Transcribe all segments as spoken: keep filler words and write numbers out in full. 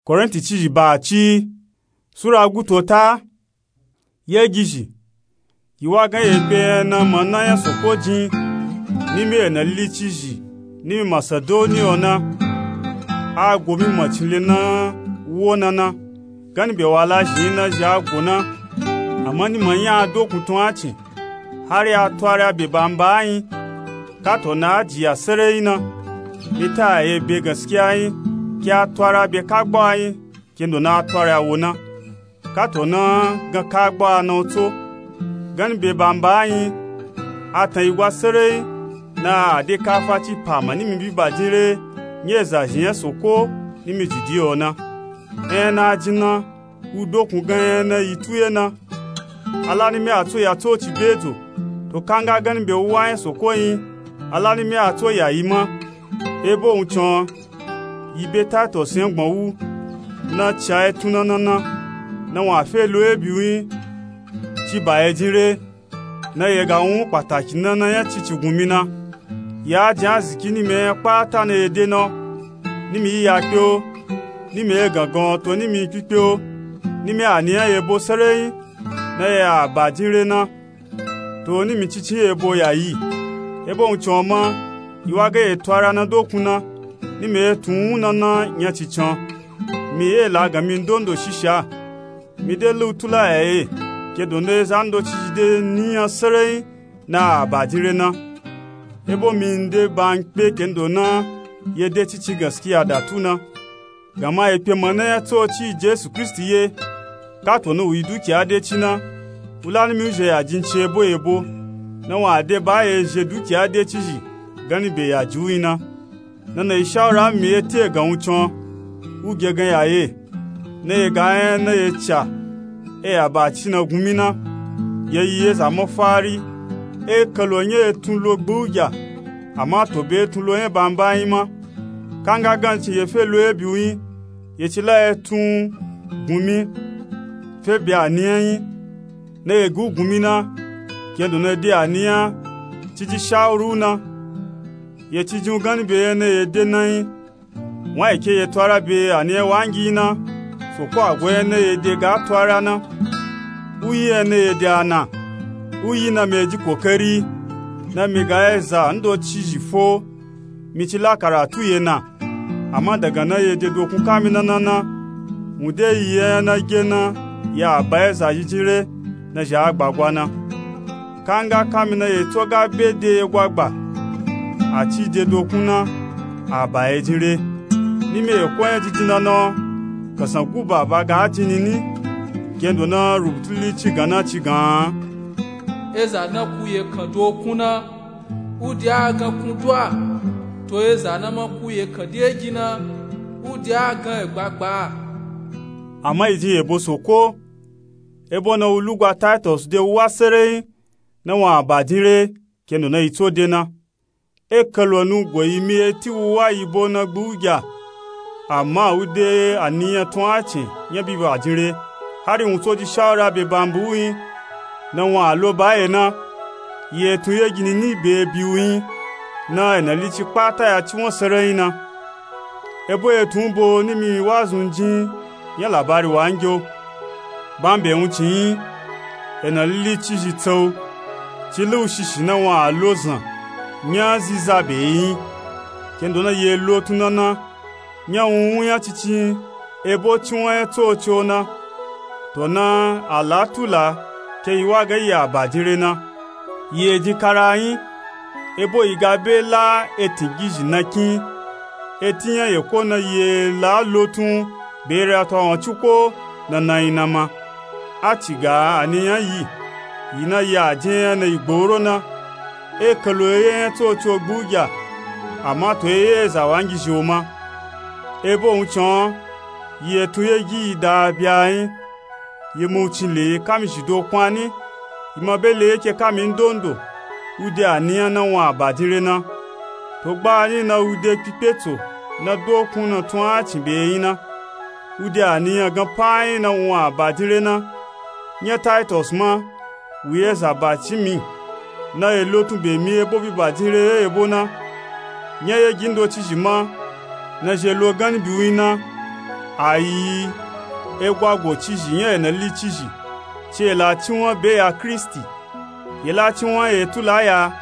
Korinti cizhi ba ci, sura guto ta. Ye gizhi, yi wa gan ye kpe na mana nya soko jin, nimi ena lili cizhi, nimi masadoni ona, a go mi macin le na wo nana, gani be wa la zhin na zhi a go na. Ama ni ma nya a dokun tun a cin, hari a twara be bamba a yin, kato na a jiya sereyi na. Mi ta ye be gaskiya yin, ki a twara be kagba a yin, kendo na a twara wo na. Kato na gan kagba a na wo tso, gani be bamba a yin, a tan yi gwa sereyi, na a de kafa ci pa ma nimi bi ba jin re, nye za zhin nya soko, nimi jidi yo na. Enya na a jin na, u dokun gan enya na yi tu ye na. A la nimi a tso ya tso ci be dzo, to kanga gani be u wa nya soko yin, a la nimi a tso ya yi ma. Ebo wun cin, yi be Taitos nya gbon wu, na ca ye tun na nana, na wa fe lo ye bi u yin, ci ba ye jin re, na ye ga wun pataki nana nya cici gun mi na. Ya jin aziki nimi enya kpata na ye de na, nimi yi ya kpe o, nimi ye gangan to nimi yi kpikpe o, nimi a ni nya ye bo sereyi, na ye a ba jin re na. To nimi cici ye bo ya yi. Ebo wun cin ma, yi wa ga ye twara na dokun na, nimi ye tun wun nana nya cican. Mi ye la gan mi ndondo shisha. Mi de lu tula ya ye, kendo na ye zan do cizhi de ni nya sereyi, na a ba jin re na. Ebo mi nde ba n kpe kendo na ye de cici gaskiya da tu na. Gama ye kpe mana nya tso ci Jesu Kristi ye, kato na u yi dukiya de ci na, u la nimi u zhe ya jin ci ebo ebo, na wa de ba ye zhe dukiya de cizhi, gani be ya ji u yin na. Na na yi shawura mi ye te gan wun cin, u ge gan ya ye, na ye ga enya na ye ca, e ya ba ci na gun mi na. Ye yi ye za mafari, e kalo nya ye tun lo gbu gya, ama to be ye tun lo nya bamba yin ma. Kanga gan cin ye fe lo ye bi u yin, ye ci la ye tun gun mi, fe bi a ni nya yin, na ye gi u gun mi na, kendo na de a ni nya, ci ji shawuru na, ye ci jin u gani be enya na ye de na yin. Wa yi ke ye twara be a ni nya wangi na, soko a go enya na ye de ga twara na. U yi enya na ye de a na, u yi na mi e ji kokari, na mi ga ye za ndo cizhi fo, mi ci la karatu ye na. Ama daga na ye de dokun kami na nana, wun de yi enya na ge na, ya a ba ye za yi jin re, na zhi a gba gwa na. Kanga kami na ye tso ga be de ye gwa gba, a ci de dokun na, a ba ye jin re. Nimi ye ko nya jijin na na, kasan guba ba ga a jin ni ni, kendo na rubutu lili ci gan na ci gan. Eza na ku ye kan dokun na, u de a gan kun du a, to eza na ma ku ye kan de gi na, u de a gan e gbagba a. Ama yi jin ye bo soko, ebo na u lugwa Taitos de u wa sereyi, na wa a ba jin re, kendo na yi tso de na. E kalo nu go yi mi e ti u wa yi bo na gbu gya, ama u de a ni nya tun a cin nya bi ba jin re, hari wun tso ji shawura be bamba u yin, na wa a lo ba ye na. Ye tun ye gini ni be bi u yin, na ena lili ci kpata ya ci won sereyi na. Ebo ye tun bo nimi wa zun jin nya labari wangi o. Bambe wun cin yin, ena lili cizhi tsau, ci lu shishi na wa a lo zan nya ziza be yin, kendo na ye lo tun na na, nya wun wun nya cici yin, ebo ci won nya tso ci o na. To na a la tula ke yi wa ga yi a ba jin re na. Ye jin kara yin, ebo yi ga be la etin gizhi na kin, etin nya ye ko na ye la lo tun be re a to awon ci ko na na yin na ma. A ci ga a ni nya yi, yi na ye a jin nya na yi gboro na. E kalo ye nya tso ci o gbu gya, ama to ye ye za wangi zhi o ma. Ebo wun cin, yi e tun ye gi yi da bya yin, yi mu cin le ye kami zhi dokun a ni, yi ma be le ye ke kami ndondo, u de a ni nya na wa a ba jin re na. To gba a ni na u de kpikpe tso na dokun na tun a cin be yin na, u de a ni nya gan pa yin na wa a ba jin re na. Nya Taitos ma, wu ye za ba ci mi, na ye lo tun be mi ebo bi ba jin re ye ebo na. Nya ye gi ndo cizhi ma, na zhi e lo gani bi u yin na. Ayi, egwago cizhi nya enali cizhi ci ela cinwan be ya kristi. Yela cinwan ye tula ya,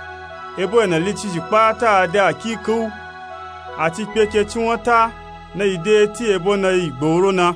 ebo enali cizhi kpata de akiki u. Ati kpeke cinwan ta na yi de ti ebo na yi gboro na.